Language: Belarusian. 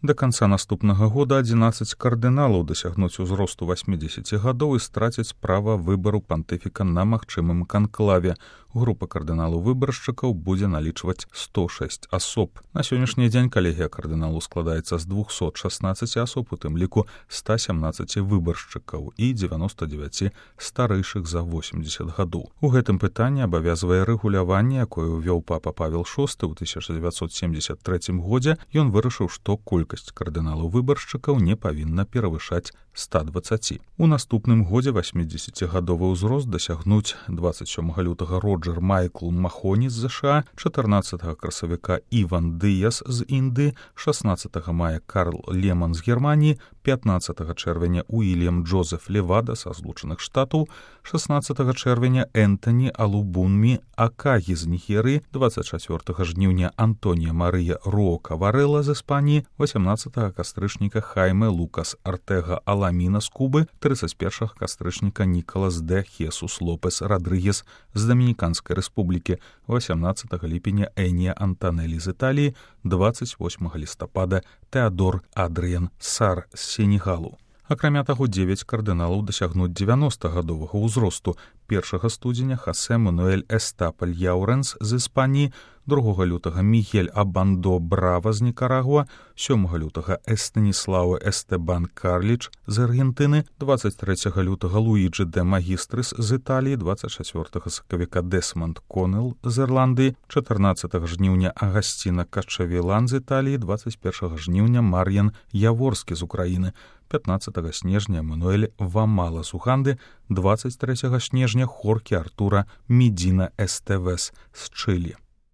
Да канца наступнага года 11 кардыналаў дасягнуць узросту 80 гадоў і страцяць права выбару пантыфіка на магчымым канклаве. Група кардыналаў-выбаршчыкаў будзе налічваць 106 асоб. На сённяшні дзень калегія кардыналу складаецца з 216 асоб, у тым ліку 117 выбаршчыкаў і 99 старэйшых за 80 гадоў. У гэтым пытанні абавязвае рэгуляванне, якое ўвёў папа Павел VI ў 1973 годзе. Ён вырашыў, што колькасць кардыналаў-выбаршчыкаў не павінна перавышаць 120. У наступным годзе 80гадовы ўзрост дасягнуць 27 лютага Роджер Майкл Махоні з ЗША, 14 красавіка Іван Дыяс з Індыі, 16 мая Карл Леман з Германіі, 15 чэрвеня Уільям Джозеф Левада са Злучаных Штатаў, 16 чэрвеня Энтані Алубунмі Акагі з Нігерыі, 24 жніўня Антонія Марыя Рока Варэла з Іспаніі, 18 кастрычніка Хайме Лукас Артега Аламіна з Кубы, 31 кастрычніка Нікалас де Хесус Лопес Радрыгес з Дамініканскай рэспублікі, 18 ліпеня Энія Антанелі з Італіі, 28 лістапада Теадор Адрыян Сар з Сенегалу. Акрамя таго, 9 кардыналаў дасягнуць 90гадовага ўзросту. 1 студзеня Хасе Мануэль Эстапаль Яурэнс з Іспаніі, 2 лютага Мігель Абандо Брава з Нікарагуа, 7 лютага Эстаніслау Эстебан Карліч з Аргентыны, 23 лютага Луіджы де Магістрыс з Італіі, 24 сакавіка Десмонд Конел з Ірландыі, 14 жніўня Агасціна Качавілан з Італіі, 21 жніўня Мар'ян Яворскі з Украіны, 15 снежня Мануэль Вамала з Уганды, 23 снежня Хоркі Артура Медіна Эстевес з Чылі.